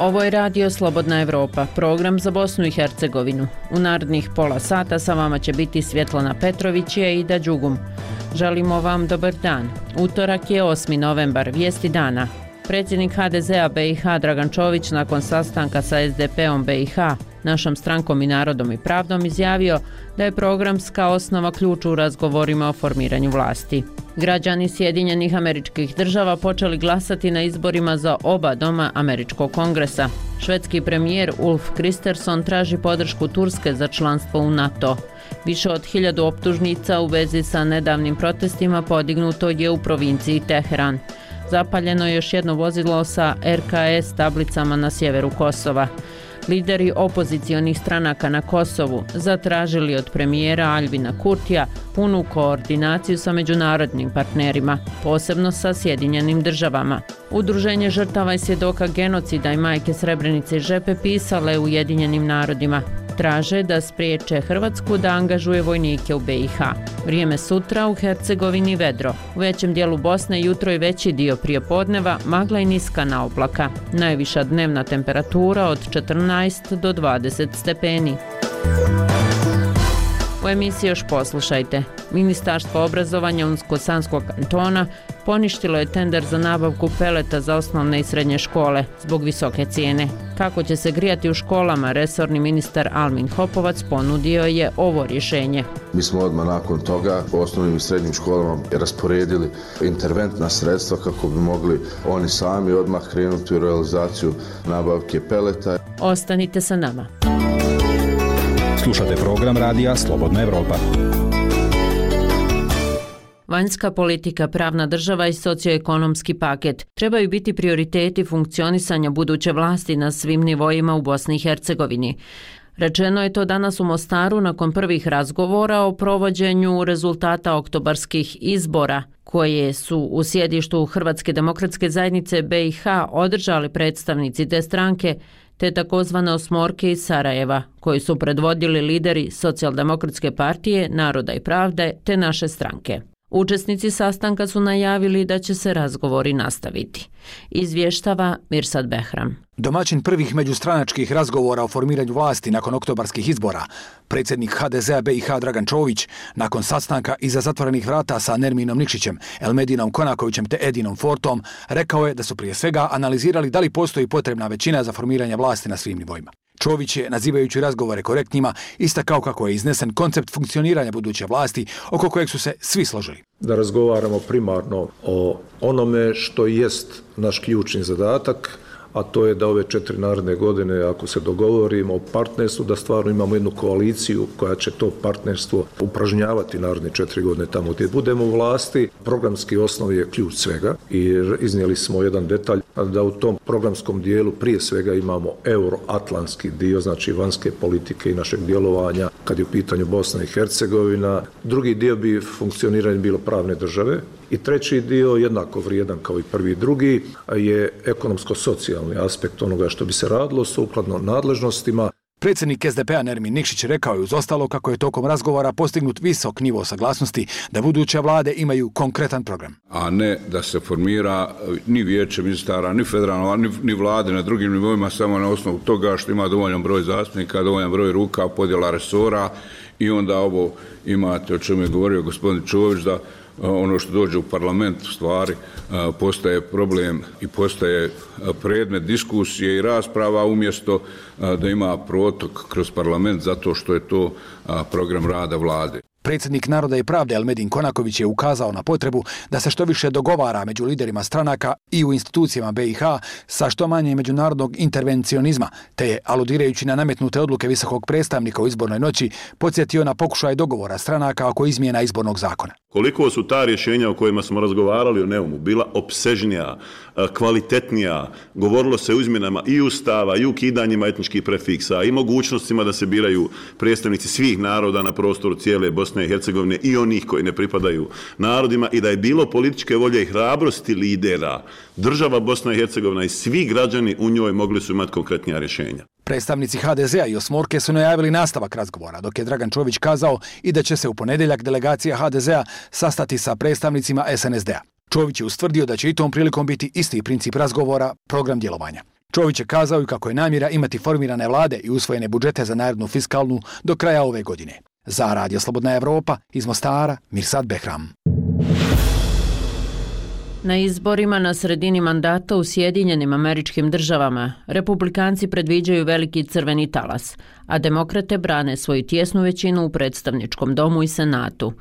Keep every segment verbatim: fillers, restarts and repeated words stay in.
Ovo je Radio Slobodna Evropa, program za Bosnu i Hercegovinu. U narednih pola sata sa vama će biti Svjetlana Petrović i Ida Đugum. Želimo vam dobar dan. Utorak je osmi novembar, vijesti dana. Predsjednik ha de zea be i ha Dragan Čović nakon sastanka sa es de peom be i ha, našom strankom i Narodom i pravdom, izjavio da je programska osnova ključ u razgovorima o formiranju vlasti. Građani Sjedinjenih Američkih Država počeli glasati na izborima za oba doma Američkog kongresa. Švedski premijer Ulf Kristersson traži podršku Turske za članstvo u NATO. Više od hiljadu optužnica u vezi sa nedavnim protestima podignuto je u provinciji Teheran. Zapaljeno je još jedno vozilo sa er ka es tablicama na sjeveru Kosova. Lideri opozicionih stranaka na Kosovu zatražili od premijera Aljbina Kurtija punu koordinaciju sa međunarodnim partnerima, posebno sa Sjedinjenim Državama. Udruženje žrtava i svjedoka genocida i majke Srebrenice i Žepe pisale Ujedinjenim narodima. Traže da spriječe Hrvatsku da angažuje vojnike u be i ha. Vrijeme sutra u Hercegovini vedro. U većem dijelu Bosne jutro i veći dio prijepodneva magla i niskana oblaka. Najviša dnevna temperatura od četrnaest do dvadeset stepeni. U emisiji još poslušajte. Ministarstvo obrazovanja Unsko-Sanskog kantona poništilo je tender za nabavku peleta za osnovne i srednje škole zbog visoke cijene. Kako će se grijati u školama, resorni ministar Almin Hopovac ponudio je ovo rješenje. Mi smo odmah nakon toga u osnovnim i srednjim školama rasporedili interventna sredstva kako bi mogli oni sami odmah krenuti u realizaciju nabavke peleta. Ostanite sa nama. Slušate program radija Slobodna Evropa. Vanjska politika, pravna država i socioekonomski paket trebaju biti prioriteti funkcionisanja buduće vlasti na svim nivoima u Bosni i Hercegovini. Rečeno je to danas u Mostaru nakon prvih razgovora o provođenju rezultata oktobarskih izbora, koje su u sjedištu Hrvatske demokratske zajednice be i ha održali predstavnici te stranke, te takozvane osmorke iz Sarajeva, koji su predvodili lideri Socijaldemokratske partije, Naroda i pravde, te naše stranke. Učesnici sastanka su najavili da će se razgovori nastaviti. Izvještava Mirsad Behram. Domaćin prvih međustranačkih razgovora o formiranju vlasti nakon oktobarskih izbora, predsjednik ha de zea be i ha Dragan Čović, nakon sastanka iza zatvorenih vrata sa Nerminom Nikšićem, Elmedinom Konakovićem te Edinom Fortom, rekao je da su prije svega analizirali da li postoji potrebna većina za formiranje vlasti na svim nivoima. Čović je, nazivajući razgovore korektnima, istakao kako je iznesen koncept funkcioniranja buduće vlasti oko kojeg su se svi složili. Da razgovaramo primarno o onome što jest naš ključni zadatak, a to je da ove četiri naredne godine, ako se dogovorimo o partnerstvu, da stvarno imamo jednu koaliciju koja će to partnerstvo upražnjavati naredne četiri godine tamo gdje budemo u vlasti. Programski osnov je ključ svega i iznijeli smo jedan detalj da u tom programskom dijelu prije svega imamo euroatlantski dio, znači vanjske politike i našeg djelovanja kad je u pitanju Bosna i Hercegovina. Drugi dio bi funkcioniranje bilo pravne države. I treći dio, jednako vrijedan kao i prvi i drugi, je ekonomsko-socijalni aspekt onoga što bi se radilo sukladno nadležnostima. Predsjednik es de pea Nermin Nikšić rekao je uz ostalo kako je tokom razgovora postignut visok nivo saglasnosti da buduće vlade imaju konkretan program. A ne da se formira ni vijeće ministara, ni federalno, ni, ni vlade na drugim nivoima samo na osnovu toga što ima dovoljan broj zastupnika, dovoljan broj ruka, podjela resora i onda ovo imate o čemu je govorio gospodin Čović da ono što dođe u parlament u stvari postaje problem i postaje predmet diskusije i rasprava umjesto da ima protok kroz parlament zato što je to program rada vlade. Predsjednik Naroda i pravde Elmedin Konaković je ukazao na potrebu da se što više dogovara među liderima stranaka i u institucijama be i ha sa što manje međunarodnog intervencionizma, te je, aludirajući na nametnute odluke visokog predstavnika u izbornoj noći, podsjetio na pokušaj dogovora stranaka oko izmjena izbornog zakona. Koliko su ta rješenja o kojima smo razgovarali o Neumu bila opsežnija, kvalitetnija, govorilo se o izmjenama i ustava i ukidanjima etničkih prefiksa i mogućnostima da se biraju predstavnici svih naroda na prostoru cijele Bosne i Hercegovine i onih koji ne pripadaju narodima i da je bilo političke volje i hrabrosti lidera, država Bosna i Hercegovina i svi građani u njoj mogli su imati konkretnija rješenja. Predstavnici ha de zea i osmorke su najavili nastavak razgovora, dok je Dragan Čović kazao i da će se u ponedjeljak delegacija ha de zea sastati sa predstavnicima es en es de a. Čović je ustvrdio da će i tom prilikom biti isti princip razgovora, program djelovanja. Čović je kazao i kako je namjera imati formirane vlade i usvojene budžete za narednu fiskalnu do kraja ove godine. Za Radio Slobodna Evropa, iz Mostara, Mirsad Behram. Na izborima na sredini mandata u Sjedinjenim Američkim Državama republikanci predviđaju veliki crveni talas, a demokrate brane svoju tjesnu većinu u predstavničkom domu i senatu.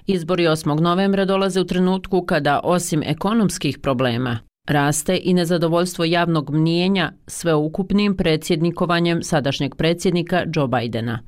Izbori osmog novembra dolaze u trenutku kada, osim ekonomskih problema, raste i nezadovoljstvo javnog mnijenja sveukupnim predsjednikovanjem sadašnjeg predsjednika Joe Bidena.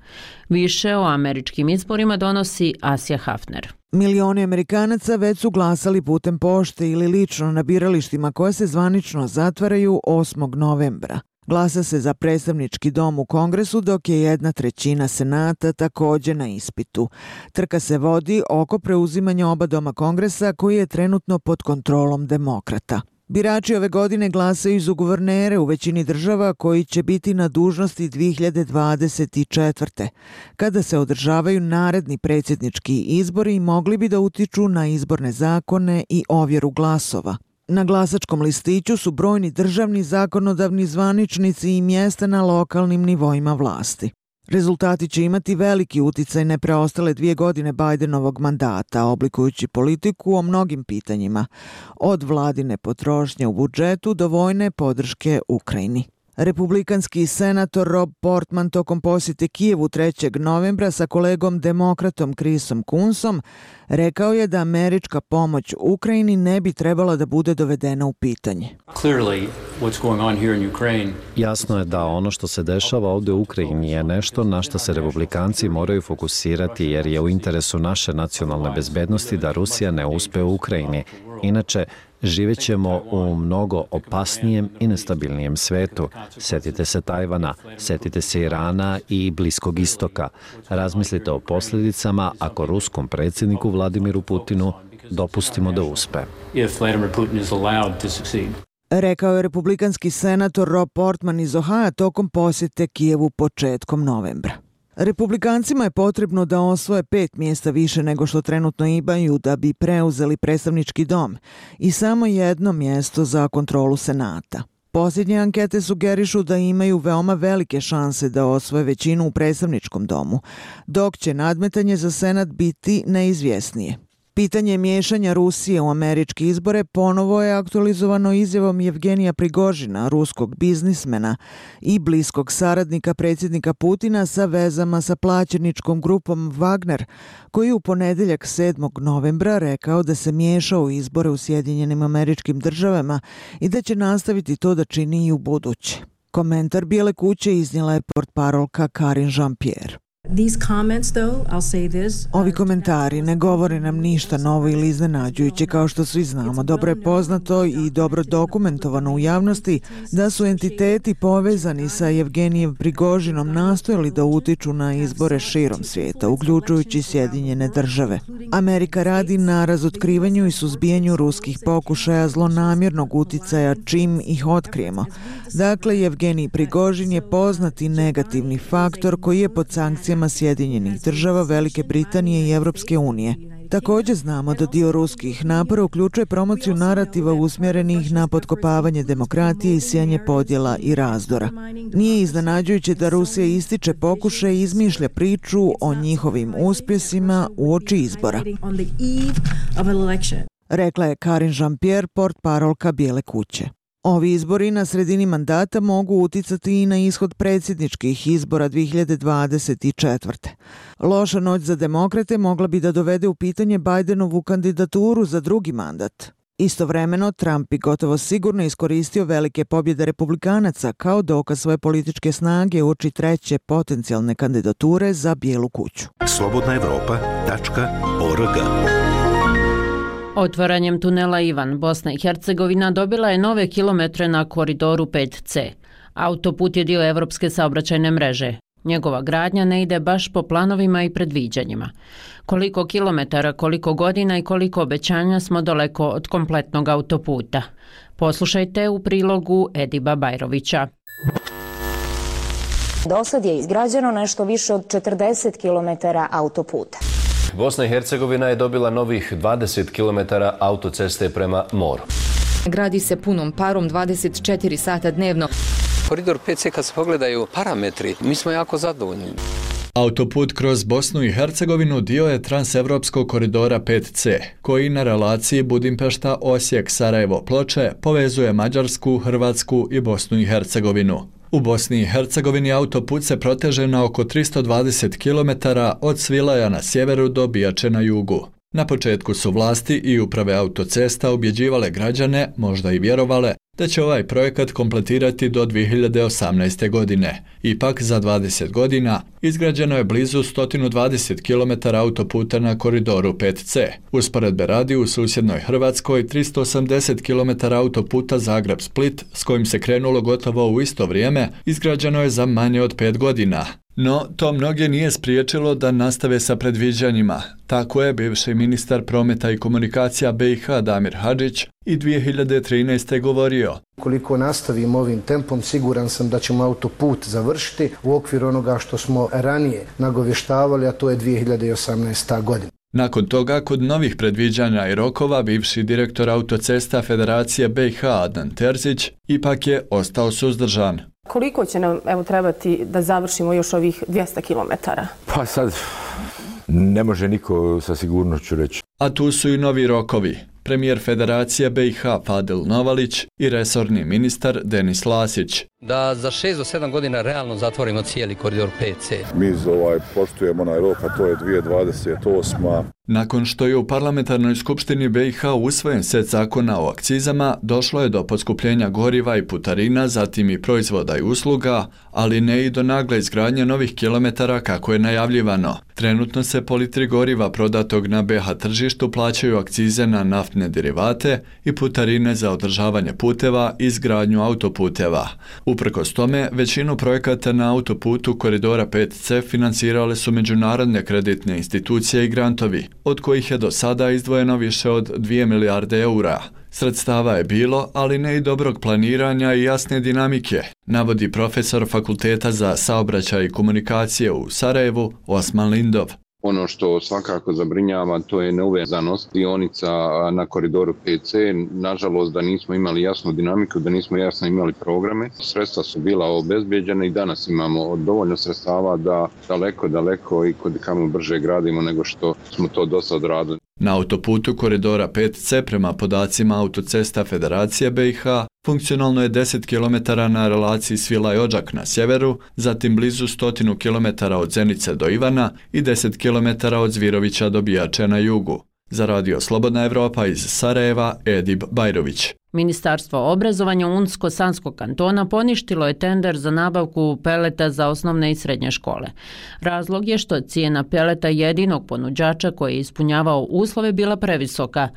Više o američkim izborima donosi Asja Hafner. Milioni Amerikanaca već su glasali putem pošte ili lično na biralištima koje se zvanično zatvaraju osmog novembra. Glasa se za predstavnički dom u Kongresu, dok je jedna trećina senata također na ispitu. Trka se vodi oko preuzimanja oba doma Kongresa, koji je trenutno pod kontrolom demokrata. Birači ove godine glasaju za guvernere u većini država koji će biti na dužnosti dvije hiljade dvadeset četvrte. Kada se održavaju naredni predsjednički izbori, mogli bi da utiču na izborne zakone i ovjeru glasova. Na glasačkom listiću su brojni državni, zakonodavni zvaničnici i mjesta na lokalnim nivoima vlasti. Rezultati će imati veliki uticaj na preostale dvije godine Bidenovog mandata, oblikujući politiku o mnogim pitanjima, od vladine potrošnje u budžetu do vojne podrške Ukrajini. Republikanski senator Rob Portman tokom posjete Kijevu trećeg novembra sa kolegom demokratom Chrisom Coonsom rekao je da američka pomoć Ukrajini ne bi trebala da bude dovedena u pitanje. Jasno je da ono što se dešava ovdje u Ukrajini je nešto na što se republikanci moraju fokusirati, jer je u interesu naše nacionalne bezbednosti da Rusija ne uspe u Ukrajini. Inače, živjet ćemo u mnogo opasnijem i nestabilnijem svetu. Sjetite se Tajvana, sjetite se Irana i Bliskog istoka. Razmislite o posljedicama ako ruskom predsjedniku Vladimiru Putinu dopustimo da uspe. Rekao je republikanski senator Rob Portman iz Ohaja tokom posjete Kijevu početkom novembra. Republikancima je potrebno da osvoje pet mjesta više nego što trenutno imaju da bi preuzeli predstavnički dom i samo jedno mjesto za kontrolu senata. Posljednje ankete sugerišu da imaju veoma velike šanse da osvoje većinu u predstavničkom domu, dok će nadmetanje za senat biti neizvjesnije. Pitanje miješanja Rusije u američke izbore ponovo je aktualizovano izjavom Jevgenija Prigožina, ruskog biznismena i bliskog saradnika predsjednika Putina sa vezama sa plaćeničkom grupom Wagner, koji je u ponedjeljak sedmog novembra rekao da se miješao u izbore u Sjedinjenim Američkim Državama i da će nastaviti to da čini i u buduće. Komentar Bijele kuće iznijela je portparolka Karine Jean-Pierre. Ovi komentari ne govore nam ništa novo ili iznenađujuće, kao što svi znamo. Dobro je poznato i dobro dokumentovano u javnosti da su entiteti povezani sa Jevgenijem Prigožinom nastojali da utiču na izbore širom svijeta, uključujući Sjedinjene Države. Amerika radi na razotkrivanju i suzbijanju ruskih pokušaja zlonamjernog uticaja čim ih otkrijemo. Dakle, Jevgenij Prigožin je poznati negativni faktor koji je pod sankcijama Sjedinjenih Država, Velike Britanije i Evropske unije. Također znamo da dio ruskih napora uključuje promociju narativa usmjerenih na potkopavanje demokratije i sijanje podjela i razdora. Nije iznenađujuće da Rusija ističe pokušaj i izmišlja priču o njihovim uspjesima uoči izbora, rekla je Karine Jean-Pierre, portparolka Bijele kuće. Ovi izbori na sredini mandata mogu uticati i na ishod predsjedničkih izbora dvije hiljade dvadeset četvrte. Loša noć za demokrate mogla bi da dovede u pitanje Bidenovu kandidaturu za drugi mandat. Istovremeno, Trump bi gotovo sigurno iskoristio velike pobjede republikanaca kao dokaz svoje političke snage uoči treće potencijalne kandidature za Bijelu kuću. slobodna evropa tačka org. Otvaranjem tunela Ivan, Bosna i Hercegovina dobila je nove kilometre na koridoru pet ce. Autoput je dio evropske saobraćajne mreže. Njegova gradnja ne ide baš po planovima i predviđanjima. Koliko kilometara, koliko godina i koliko obećanja smo daleko od kompletnog autoputa. Poslušajte u prilogu Ediba Bajrovića. Dosad je izgrađeno nešto više od četrdeset kilometara autoputa. Bosna i Hercegovina je dobila novih dvadeset kilometara autoceste prema moru. Gradi se punom parom dvadeset četiri sata dnevno. Koridor pet C, kad se pogledaju parametri, mi smo jako zadovoljni. Autoput kroz Bosnu i Hercegovinu dio je transevropskog koridora pet C, koji na relaciji Budimpešta-Osijek-Sarajevo-Ploče povezuje Mađarsku, Hrvatsku i Bosnu i Hercegovinu. U Bosni i Hercegovini autoput se proteže na oko tristo dvadeset kilometara od Svilaja na sjeveru do Bijače na jugu. Na početku su vlasti i uprave autocesta ubjeđivale građane, možda i vjerovale, da će ovaj projekat kompletirati do dvije hiljade osamnaeste. godine. Ipak, za dvadeset godina izgrađeno je blizu sto dvadeset kilometara autoputa na koridoru pet C. Usporedbe radi, u susjednoj Hrvatskoj tristo osamdeset kilometara autoputa Zagreb-Split, s kojim se krenulo gotovo u isto vrijeme, izgrađeno je za manje od pet godina. No, to mnoge nije spriječilo da nastave sa predviđanjima. Tako je bivši ministar prometa i komunikacija B i H Damir Hadžić i dvije hiljade trinaeste. govorio. Koliko nastavimo ovim tempom, siguran sam da ćemo autoput završiti u okviru onoga što smo ranije nagovještavali, a to je dvije hiljade osamnaesta. godina. Nakon toga, kod novih predviđanja i rokova, bivši direktor autocesta Federacije B i H Adnan Terzić ipak je ostao suzdržan. Koliko će nam evo, trebati da završimo još ovih dvjesto kilometara? Pa sad ne može niko sa sigurnošću reći. A tu su i novi rokovi. Premijer Federacije B i H Fadil Novalić i resorni ministar Denis Lasić. Da za šest do sedam godina realno zatvorimo cijeli koridor pet C. Mi ovaj, poštujemo onaj rok, a to je dvije hiljade dvadeset osma. Nakon što je u parlamentarnoj skupštini B i H usvojen set zakona o akcizama, došlo je do poskupljenja goriva i putarina, zatim i proizvoda i usluga, ali ne i do nagle izgradnje novih kilometara kako je najavljivano. Trenutno se po litri goriva prodatog na B i H tržištu plaćaju akcize na naftne derivate i putarine za održavanje puteva i izgradnju autoputeva. Uprkos tome, većinu projekata na autoputu koridora pet C financirale su međunarodne kreditne institucije i grantovi, od kojih je do sada izdvojeno više od dvije milijarde eura. Sredstava je bilo, ali ne i dobrog planiranja i jasne dinamike, navodi profesor Fakulteta za saobraćaj i komunikacije u Sarajevu Osman Lindov. Ono što svakako zabrinjava, to je neuvezanost dionica na koridoru pet C. Nažalost, da nismo imali jasnu dinamiku, da nismo jasno imali programe. Sredstva su bila obezbijeđena i danas imamo dovoljno sredstava da daleko, daleko i kod kamo brže gradimo nego što smo to do sad radili. Na autoputu koridora pet C, prema podacima Autocesta Federacije B i H, funkcionalno je deset kilometara na relaciji Svilaj-Odžak na sjeveru, zatim blizu stotinu kilometara od Zenice do Ivana i deset kilometara od Zvirovića do Bijače na jugu. Za Radio Slobodna Evropa iz Sarajeva, Edib Bajrović. Ministarstvo obrazovanja Unsko-Sanskog kantona poništilo je tender za nabavku peleta za osnovne i srednje škole. Razlog je što cijena peleta jedinog ponuđača koji je ispunjavao uslove bila previsoka.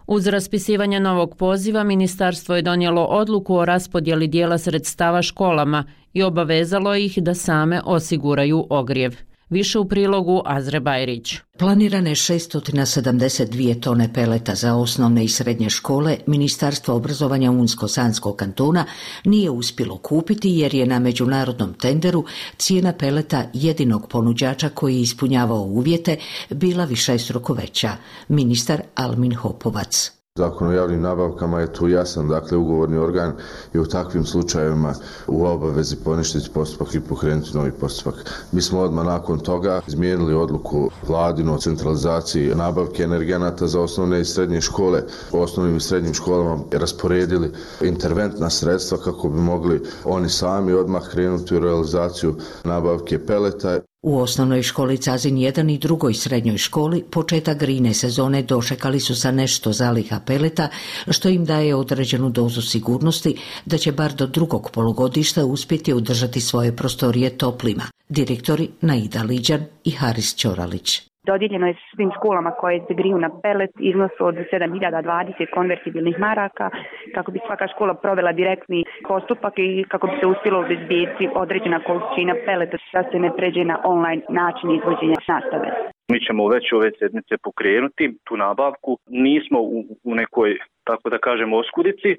Uz raspisivanje novog poziva, ministarstvo je donijelo odluku o raspodjeli dijela sredstava školama i obavezalo ih da same osiguraju ogrijev. Više u prilogu Azre Bajrić. Planirane šesto sedamdeset dvije tone peleta za osnovne i srednje škole Ministarstvo obrazovanja Unsko-Sanskog kantona nije uspjelo kupiti jer je na međunarodnom tenderu cijena peleta jedinog ponuđača koji je ispunjavao uvjete bila višestruko veća. Ministar Almin Hopovac. Zakon o javnim nabavkama je tu jasan, dakle ugovorni organ je u takvim slučajevima u obavezi poništiti postupak i pokrenuti novi postupak. Mi smo odmah nakon toga izmijenili odluku vladinu o centralizaciji nabavke energenata za osnovne i srednje škole. U osnovnim i srednjim školama rasporedili interventna sredstva kako bi mogli oni sami odmah krenuti u realizaciju nabavke peleta. U osnovnoj školi Cazin jedan i drugoj srednjoj školi početak grijne sezone dočekali su sa nešto zaliha peleta, što im daje određenu dozu sigurnosti da će bar do drugog polugodišta uspjeti održati svoje prostorije toplima. Direktori Naida Liđan i Haris Ćoralić. Dodijeljeno je svim školama koje se griju na pelet iznos od sedam hiljada dvadeset konvertibilnih maraka kako bi svaka škola provela direktni postupak i kako bi se uspjelo obezbijediti određena količina peleta da se ne pređe na online način izvođenja nastave. Mi ćemo već ove sedmice pokrenuti tu nabavku. Nismo u, u nekoj, tako da kažemo, oskudici,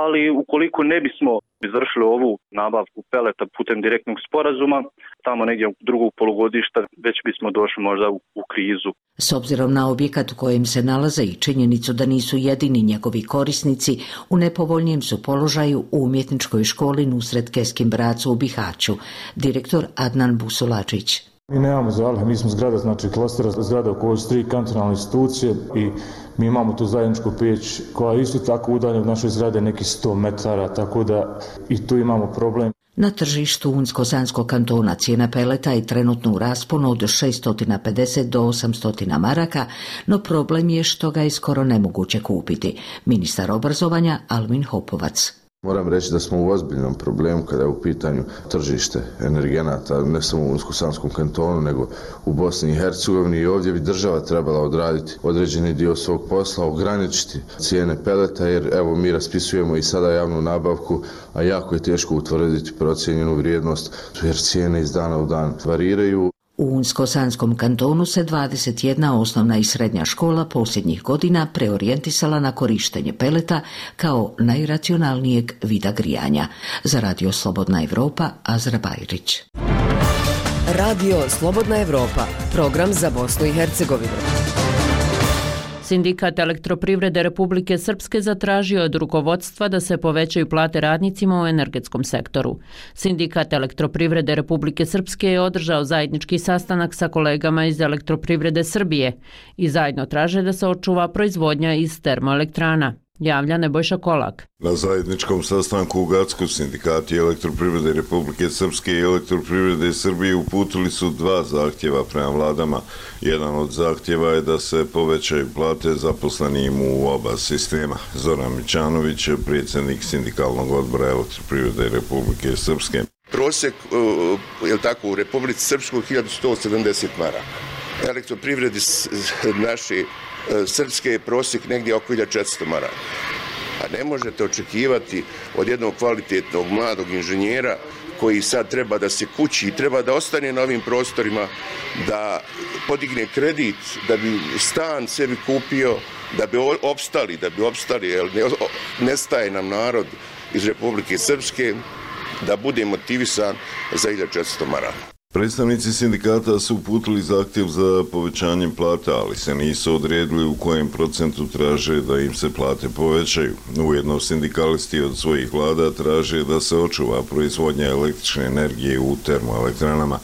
ali ukoliko ne bismo izvršili ovu nabavku peleta putem direktnog sporazuma, tamo negdje u drugog polugodišta već bismo došli možda u, u krizu. S obzirom na objekat u kojem se nalaze i činjenicu da nisu jedini njegovi korisnici, u nepovoljnijem su položaju u umjetničkoj školi Nusret Keskin Bracu u Bihaću. Direktor Adnan Busulačić. Mi nemamo zalihe, mi smo zgrada, znači klastera zgrada u kojoj su tri kantonalne institucije i mi imamo tu zajedničku peć koja je isto tako udaljena od naše zgrade nekih sto metara, tako da i tu imamo problem. Na tržištu Unsko-Sanskog kantona cijena peleta je trenutno u rasponu od šesto pedeset do osamsto maraka, no problem je što ga je skoro nemoguće kupiti. Ministar obrazovanja Almin Hopovac. Moram reći da smo u ozbiljnom problemu kada je u pitanju tržište energenata, ne samo u Unsko-Sanskom kantonu, nego u Bosni i Hercegovini, i ovdje bi država trebala odraditi određeni dio svog posla, ograničiti cijene peleta, jer evo mi raspisujemo i sada javnu nabavku, a jako je teško utvrditi procijenjenu vrijednost, jer cijene iz dana u dan variraju. U Unsko-Sanskom kantonu se dvadeset jedna osnovna i srednja škola posljednjih godina preorijentisala na korištenje peleta kao najracionalnijeg vida grijanja. Za Radio Slobodna Evropa, Azra Bajrić. Radio Slobodna Evropa, program za Bosnu i Hercegovinu. Sindikat Elektroprivrede Republike Srpske zatražio od rukovodstva da se povećaju plate radnicima u energetskom sektoru. Sindikat Elektroprivrede Republike Srpske je održao zajednički sastanak sa kolegama iz Elektroprivrede Srbije i zajedno traže da se očuva proizvodnja iz termoelektrana. Javlja Nebojša Kolak. Na zajedničkom sastanku u Gacku sindikati Elektroprivrede Republike Srpske i Elektroprivrede Srbije uputili su dva zahtjeva prema vladama. Jedan od zahtjeva je da se povećaju plate zaposlenim u oba sistema. Zoran Mićanović, predsjednik sindikalnog odbora Elektroprivrede Republike Srpske. Prosjek, je li tako, u Republici Srpskoj hiljadu sto sedamdeset maraka. Elektroprivredi naši srpske je prosjek negdje oko hiljadu četiristo maraka. A ne možete očekivati od jednog kvalitetnog mladog inženjera koji sad treba da se kući i treba da ostane na ovim prostorima, da podigne kredit, da bi stan sebi kupio, da bi opstali, da bi opstali, jer nestaje nam narod iz Republike Srpske, da bude motivisan za hiljadu četiristo maraka. Predstavnici sindikata su uputili zahtjev za povećanjem plata, ali se nisu odredili u kojem procentu traže da im se plate povećaju. Ujedno sindikalisti od svojih vlada traže da se očuva proizvodnja električne energije u termoelektranama.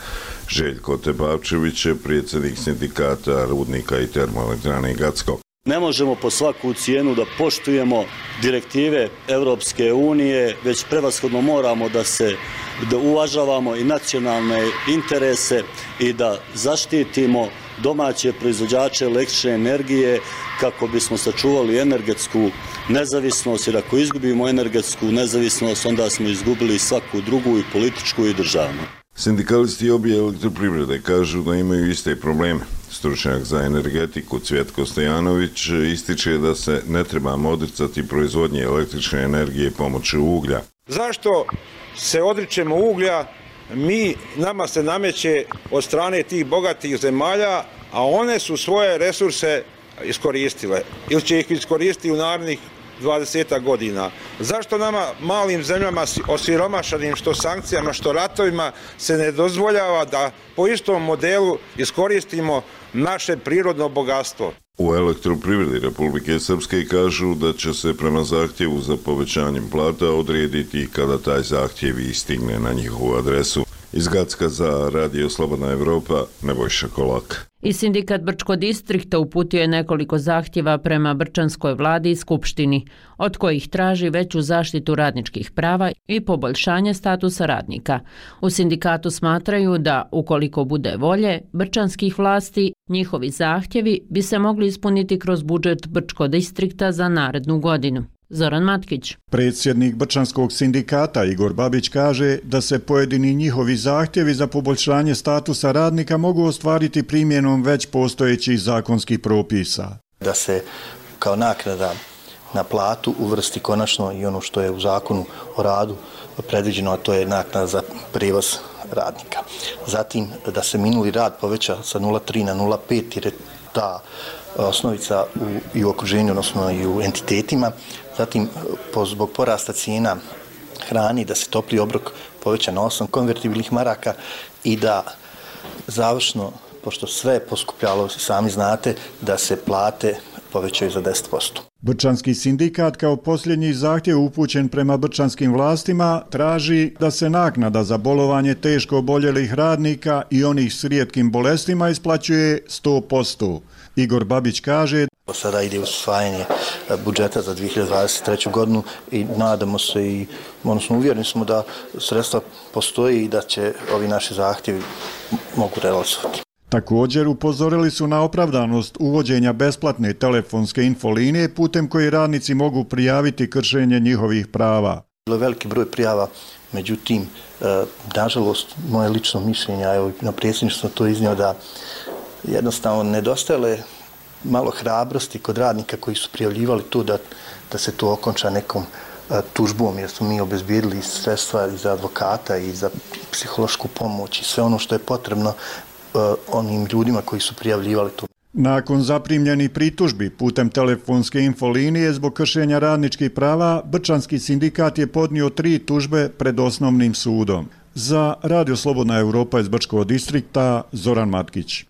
Željko Tepavčević je predsjednik sindikata Rudnika i termoelektrane Gacko. Ne možemo po svaku cijenu da poštujemo direktive Europske unije, već prevashodno moramo da se da uvažavamo i nacionalne interese i da zaštitimo domaće proizvođače električne energije kako bismo sačuvali energetsku nezavisnost, jer ako izgubimo energetsku nezavisnost, onda smo izgubili svaku drugu, i političku i državnu. Sindikalisti obje elektroprivrede kažu da imaju iste probleme. Stručnjak za energetiku Cvjetko Stojanović ističe da se ne trebamo odricati proizvodnje električne energije pomoću uglja. Zašto se odričemo uglja? Mi, nama se nameće od strane tih bogatih zemalja, a one su svoje resurse iskoristile ili će ih iskoristiti u narednih dvadeset godina. Zašto nama, malim zemljama osiromašanim, što sankcijama, što ratovima, se ne dozvoljava da po istom modelu iskoristimo naše prirodno bogatstvo? U Elektroprivredi Republike Srpske kažu da će se prema zahtjevu za povećanjem plata odrediti kada taj zahtjev istigne na njihovu adresu. Iz Gacka za Radio Slobodna Evropa, Nebojša Kolak. I sindikat Brčko distrikta uputio je nekoliko zahtjeva prema Brčanskoj vladi i skupštini, od kojih traži veću zaštitu radničkih prava i poboljšanje statusa radnika. U sindikatu smatraju da, ukoliko bude volje brčanskih vlasti, njihovi zahtjevi bi se mogli ispuniti kroz budžet Brčko distrikta za narednu godinu. Zoran Matkić. Predsjednik Brčanskog sindikata Igor Babić kaže da se pojedini njihovi zahtjevi za poboljšanje statusa radnika mogu ostvariti primjenom već postojećih zakonskih propisa. Da se kao naknada na platu uvrsti konačno i ono što je u zakonu o radu predviđeno, a to je naknada za prijevoz radnika. Zatim da se minuli rad poveća sa nula zarez tri na nula zarez pet jer je ta osnovica u, i u okruženju, odnosno i u entitetima. Zatim po, zbog porasta cijena hrani da se topli obrok poveća na osam konvertibilnih maraka i da završno, pošto sve je poskupljalo, sami znate, da se plate povećaju za deset posto. Brčanski sindikat kao posljednji zahtjev upućen prema brčanskim vlastima traži da se naknada za bolovanje teško oboljelih radnika i onih s rijetkim bolestima isplaćuje sto posto. Igor Babić kaže: Sada ide usvajanje budžeta za dvije hiljade dvadeset treću godinu i nadamo se i odnosno uvjereni smo da sredstva postoji i da će ovi naši zahtjevi mogu realizovati. Također upozorili su na opravdanost uvođenja besplatne telefonske infolinije putem koje radnici mogu prijaviti kršenje njihovih prava. Bilo je veliki broj prijava, međutim, nažalost, moje lično mišljenje, evo na predsjedništvu sam to iznio, da jednostavno nedostajale malo hrabrosti kod radnika koji su prijavljivali to da, da se to okonča nekom tužbom, jer smo mi obezbijedili sredstva i za advokata i za psihološku pomoć i sve ono što je potrebno onim ljudima koji su prijavljivali to. Nakon zaprimljenih pritužbi putem telefonske infolinije zbog kršenja radničkih prava, Brčanski sindikat je podnio tri tužbe pred osnovnim sudom. Za Radio Slobodna Europa iz Brčkog distrikta, Zoran Matkić.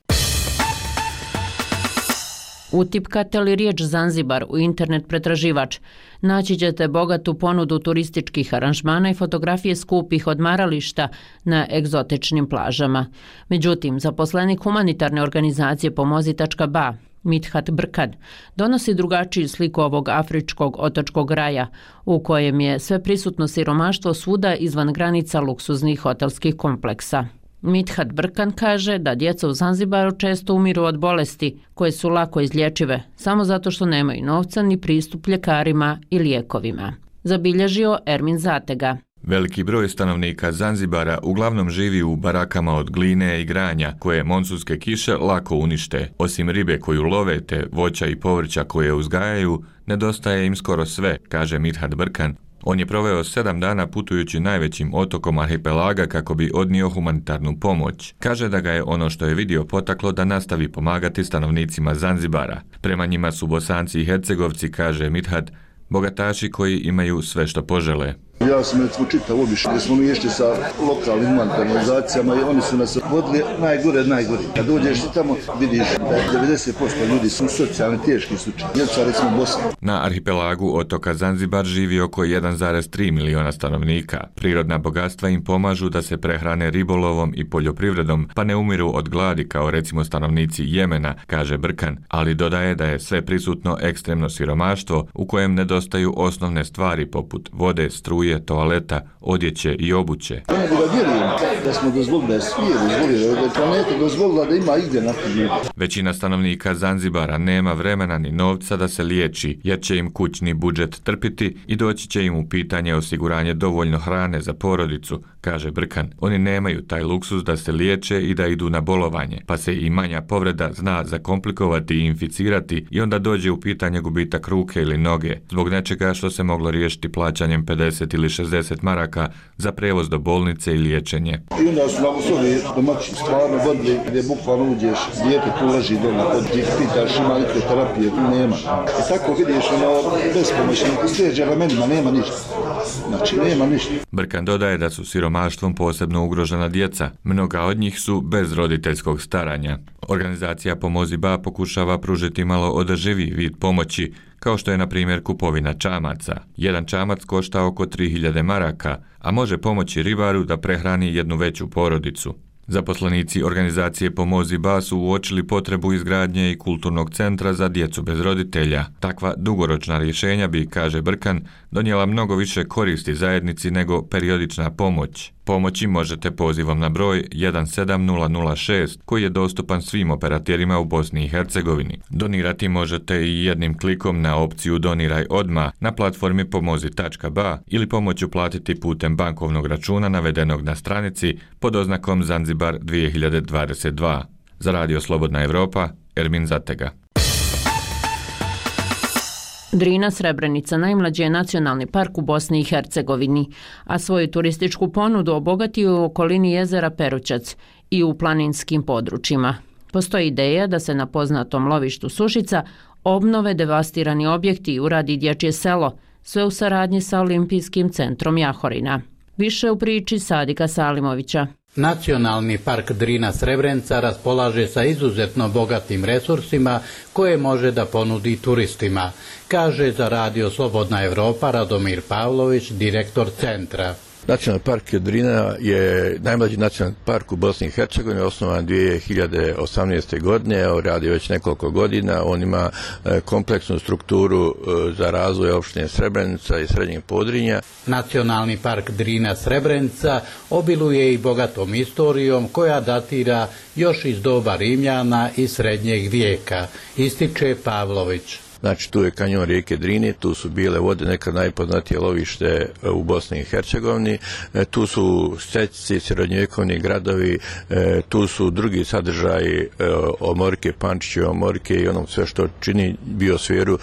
Utipkate li riječ Zanzibar u internet pretraživač, naći ćete bogatu ponudu turističkih aranžmana i fotografije skupih odmarališta na egzotičnim plažama. Međutim, zaposlenik humanitarne organizacije Pomozi tačka ba, Mithat Brkan, donosi drugačiju sliku ovog afričkog otočkog raja, u kojem je sve prisutno siromaštvo svuda izvan granica luksuznih hotelskih kompleksa. Mithat Brkan kaže da djeca u Zanzibaru često umiru od bolesti koje su lako izlječive, samo zato što nemaju novca ni pristup ljekarima i lijekovima. Zabilježio Ermin Zatega. Veliki broj stanovnika Zanzibara uglavnom živi u barakama od gline i granja koje monsunske kiše lako unište. Osim ribe koju love te voća i povrća koje uzgajaju, nedostaje im skoro sve, kaže Mithat Brkan. On je proveo sedam dana putujući najvećim otokom arhipelaga kako bi odnio humanitarnu pomoć. Kaže da ga je ono što je vidio potaklo da nastavi pomagati stanovnicima Zanzibara. Prema njima su Bosanci i Hercegovci, kaže Mithat, bogataši koji imaju sve što požele. Ja sam recimo čitao obišao gdje smo mi išli sa lokalnim humanitarnim organizacijama i oni su nas vodili najgore od najgore. Kad dođeš ti tamo vidiš da devedeset posto ljudi su socijalni teški slučaj. Djeca recimo Bosna. Na arhipelagu otoka Zanzibar živi oko jedan zarez tri miliona stanovnika. Prirodna bogatstva im pomažu da se prehrane ribolovom i poljoprivredom, pa ne umiru od gladi kao recimo stanovnici Jemena, kaže Brkan, ali dodaje da je sve prisutno ekstremno siromaštvo u kojem nedostaju osnovne stvari poput vode, struje, toaleta, odjeće i obuće. Ja ne da vjerujem da smo dozvolili, da je svijet dozvolila, da je planeta dozvolila da ima igdje na ljudi. Većina stanovnika Zanzibara nema vremena ni novca da se liječi, jer će im kućni budžet trpiti i doći će im u pitanje osiguranje dovoljno hrane za porodicu, kaže Brkan. Oni nemaju taj luksus da se liječe i da idu na bolovanje, pa se i manja povreda zna zakomplikovati i inficirati i onda dođe u pitanje gubitak ruke ili noge, zbog nečega što se moglo riješiti plaćanjem pedeset ili šezdeset maraka za prevoz do bolnice i liječenje. I onda su nam uslovi domaći stvarno vodili gdje bukvalno uđeš, dijete tu leži doma, kod ti pitaš ima li te terapije, tu nema. I tako vidiš ono bespomoćno, sljedeće ramenima nema ništa. Znači nema ništa. Brkan dodaje da su siromaštvom posebno ugrožena djeca. Mnoga od njih su bez roditeljskog staranja. Organizacija Pomozi ba pokušava pružiti malo održiviji vid pomoći, kao što je na primjer kupovina čamaca. Jedan čamac košta oko tri hiljade maraka, a može pomoći ribaru da prehrani jednu veću porodicu. Zaposlenici organizacije Pomozi ba su uočili potrebu izgradnje i kulturnog centra za djecu bez roditelja. Takva dugoročna rješenja bi, kaže Brkan, donijela mnogo više koristi zajednici nego periodična pomoć. Pomoći možete pozivom na broj jedan sedam nula nula šest koji je dostupan svim operaterima u Bosni i Hercegovini. Donirati možete i jednim klikom na opciju Doniraj odmah na platformi Pomozi tačka ba ili pomoć uplatiti putem bankovnog računa navedenog na stranici pod oznakom Zanzibar dvije hiljade dvadeset dva. Za Radio Slobodna Europa, Ermin Zatega. Drina Srebrenica najmlađi je nacionalni park u Bosni i Hercegovini, a svoju turističku ponudu obogatio u okolini jezera Perućac i u planinskim područjima. Postoji ideja da se na poznatom lovištu Sušica obnove devastirani objekti i uradi dječje selo, sve u saradnji sa Olimpijskim centrom Jahorina. Više u priči Sadika Salimovića. Nacionalni park Drina Srebrenica raspolaže sa izuzetno bogatim resursima koje može da ponudi turistima, kaže za Radio Slobodna Evropa Radomir Pavlović, direktor centra. Nacionalni park Drina je najmlađi nacionalni park u Bosni i Hercegovini, osnovan dvije hiljade osamnaeste. godine, evo radi već nekoliko godina. On ima kompleksnu strukturu za razvoj opštine Srebrenica i Srednjeg Podrinja. Nacionalni park Drina Srebrenica obiluje i bogatom istorijom koja datira još iz doba Rimljana i Srednjeg vijeka, ističe Pavlović. Znači, tu je kanjon rijeke Drine, tu su bile vode, nekad najpoznatije lovište u Bosni i Hercegovini, tu su stećice, srednjovjekovni gradovi, tu su drugi sadržaji omorke, Pančiće omorke i onom sve što čini biosferu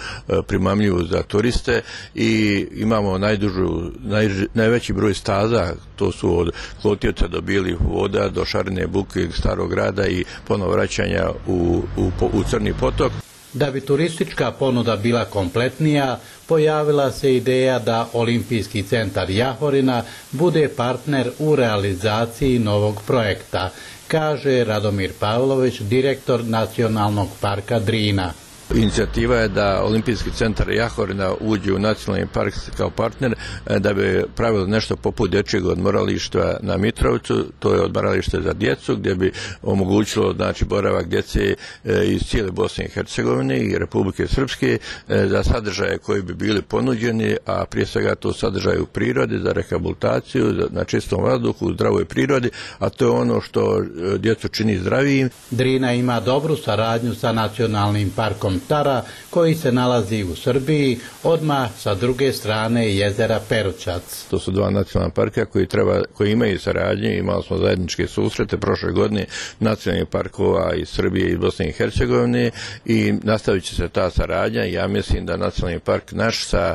primamljivu za turiste i imamo najdužu, naj, najveći broj staza, to su od Klotivca do Bijelih voda, do Šarine buke, Starog grada i ponovo vraćanja u, u, u Crni potok. Da bi turistička ponuda bila kompletnija, pojavila se ideja da Olimpijski centar Jahorina bude partner u realizaciji novog projekta, kaže Radomir Pavlović, direktor Nacionalnog parka Drina. Inicijativa je da Olimpijski centar Jahorina uđe u nacionalni park kao partner da bi pravilo nešto poput dječjeg odmorališta na Mitrovcu, to je odmoralište za djecu gdje bi omogućilo znači boravak djece iz cijele Bosne i Hercegovine i Republike Srpske za sadržaje koji bi bili ponuđeni, a prije svega to sadržaje u prirodi za rehabilitaciju, na čistom vazduhu, u zdravoj prirodi, a to je ono što djecu čini zdravijim. Drina ima dobru saradnju sa Nacionalnim parkom Tara, koji se nalazi u Srbiji, odmah sa druge strane jezera Perućac. To su dva nacionalna parka koji, treba, koji imaju saradnje, imali smo zajedničke susrete prošle godine nacionalnih parkova iz Srbije i Bosne i Hercegovine i nastavit će se ta saradnja. Ja mislim da nacionalni park naš sa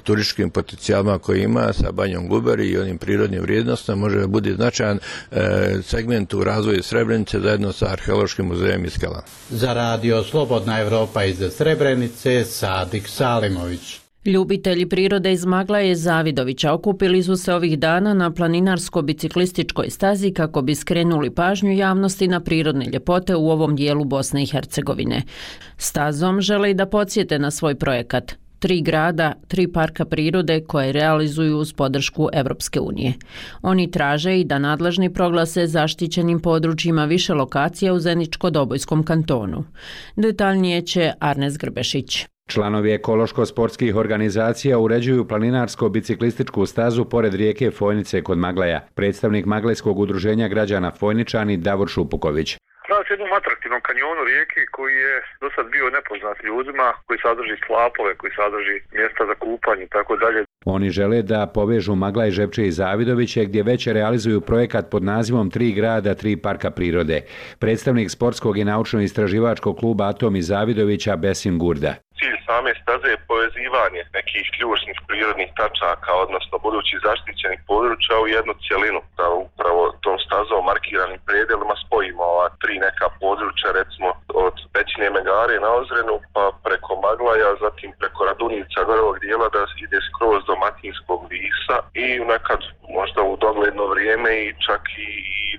turističkim potencijalima koji ima, sa Banjom Guberi i onim prirodnim vrijednostima može biti značajan e, segment u razvoju Srebrenice zajedno sa Arheološkim muzejem Iskela. Za Radio Slobodna Evropa iz Srebrenice, Sadik Salimović. Ljubitelji prirode iz Maglaje Zavidovića okupili su se ovih dana na planinarsko-biciklističkoj stazi kako bi skrenuli pažnju javnosti na prirodne ljepote u ovom dijelu Bosne i Hercegovine. Stazom žele i da podsjete na svoj projekat. Tri grada, tri parka prirode koje realizuju uz podršku Evropske unije. Oni traže i da nadležni proglase zaštićenim područjima više lokacija u Zeničko-Dobojskom kantonu. Detaljnije će Arnes Grbešić. Članovi ekološko-sportskih organizacija uređuju planinarsko-biciklističku stazu pored rijeke Fojnice kod Maglaja. Predstavnik Maglajskog udruženja građana Fojničani Davor Šupuković. Radi se o jednom atraktivnom kanjonu rijeke koji je do sad bio nepoznat ljudima, koji sadrži slapove, koji sadrži mjesta za kupanje i tako dalje. Oni žele da povežu Maglaj, Žepče i Zavidoviće gdje već realizuju projekat pod nazivom Tri grada, tri parka prirode. Predstavnik sportskog i naučno-istraživačkog kluba Atom iz Zavidovića Besim Gurda. Cilj same staze je povezivanje nekih ključnih prirodnih tačaka, odnosno budućih zaštićenih područja u jednu cjelinu. Da upravo tom stazom markiranim predelima spojimo ova tri neka područja, recimo od Pećine Megare na Ozrenu, pa preko Maglaja, zatim preko Radunjica, gorovog dijela da ide skroz do Matinskog Visa i nekad možda u dogledno vrijeme i čak i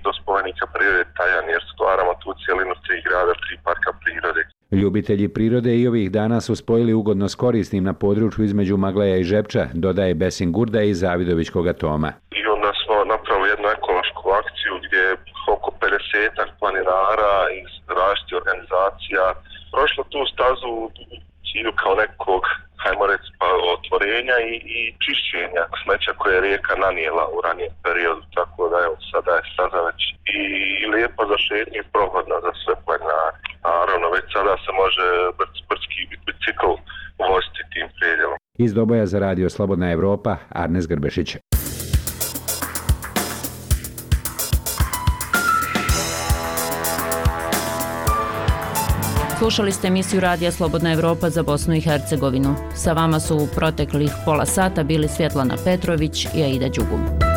do spomenika prirode Tajan, jer stvaramo tu cjelinu tri grada, tri parka prirode. Ljubitelji prirode i ovih dana su spojili ugodno s korisnim na području između Maglaja i Žepča, dodaje Besim Gurda iz Zavidovićkog Atoma. I onda smo napravili jednu ekološku akciju gdje je oko pedeset planinara iz različitih organizacija prošlo tu stazu u cilju kao nekog, hajmo reći, pa, otvorenja i, i čišćenja smeća koje je rijeka nanijela u ranijem periodu, tako da evo sada je staza već i, i lijepo za šetnju i prohodna za sve planinare. Naravno, već sada se može brdski bicikl voziti tim predjelom. Iz Doboja za Radio Slobodna Evropa, Arnes Grbešić. Slušali ste emisiju Radija Slobodna Evropa za Bosnu i Hercegovinu. Sa vama su u proteklih pola sata bili Svjetlana Petrović i Aida Đugum.